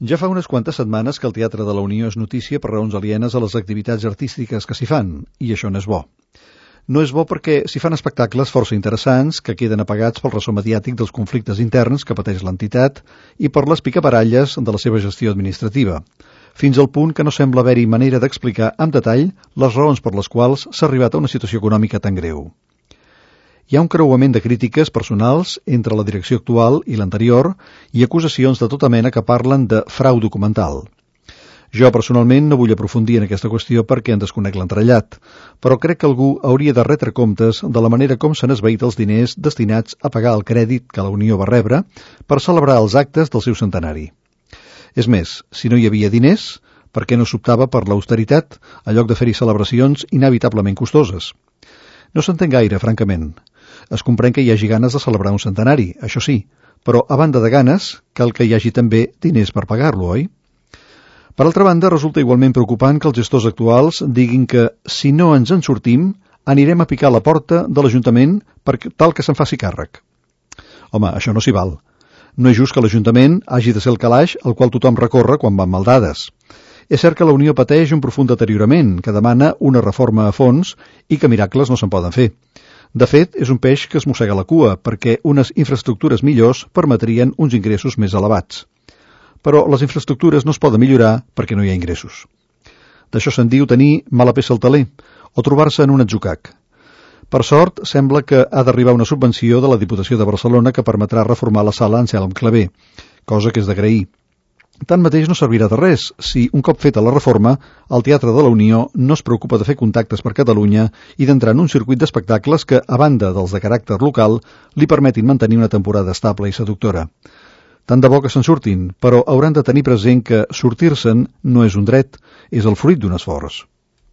Ja fa unes quantes setmanes que el Teatre de la Unió és notícia per raons alienes a les activitats artístiques que s'hi fan, i això no és bo. No és bo perquè s'hi fan espectacles força interessants que queden apagats pel ressò mediàtic dels conflictes interns que pateix l'entitat i per les picabaralles de la seva gestió administrativa, fins al punt que no sembla haver-hi manera d'explicar amb detall les raons per les quals s'ha arribat a una situació econòmica tan greu. Hi ha un creuament de crítiques personals entre la direcció actual i l'anterior i acusacions de tota mena que parlen de frau documental. Jo, personalment, no vull aprofundir en aquesta qüestió perquè en desconec l'entrellat, però crec que algú hauria de retre comptes de la manera com s'han esvaït els diners destinats a pagar el crèdit que la Unió va rebre per celebrar els actes del seu centenari. És més, si no hi havia diners, per què no s'optava per l'austeritat en lloc de fer-hi celebracions inevitablement costoses? No s'entén gaire, francament. Es comprèn que hi hagi ganes de celebrar un centenari, això sí, però a banda de ganes, cal que hi hagi també diners per pagar-lo, oi? Per altra banda, resulta igualment preocupant que els gestors actuals diguin que si no ens en sortim, anirem a picar a la porta de l'Ajuntament per tal que se'n faci càrrec. Home, això no s'hi val. No és just que l'Ajuntament hagi de ser el calaix al qual tothom recorre quan van maldades. És cert que la Unió pateix un profund deteriorament que demana una reforma a fons i que miracles no se'n poden fer. De fet, és un peix que es mossega la cua, perquè unes infraestructures millors permetrien uns ingressos més elevats. Però les infraestructures no es poden millorar perquè no hi ha ingressos. D'això se'n diu tenir mala peça al taler, o trobar-se en un atzucac. Per sort, sembla que ha d'arribar una subvenció de la Diputació de Barcelona que permetrà reformar la sala Anselm Clavé, cosa que és d'agrair. Tanmateix no servirà de res si, un cop feta la reforma, el Teatre de la Unió no es preocupa de fer contactes per Catalunya i d'entrar en un circuit d'espectacles que, a banda dels de caràcter local, li permetin mantenir una temporada estable i seductora. Tant de bo que se'n surtin, però hauran de tenir present que sortir-se'n no és un dret, és el fruit d'un esforç.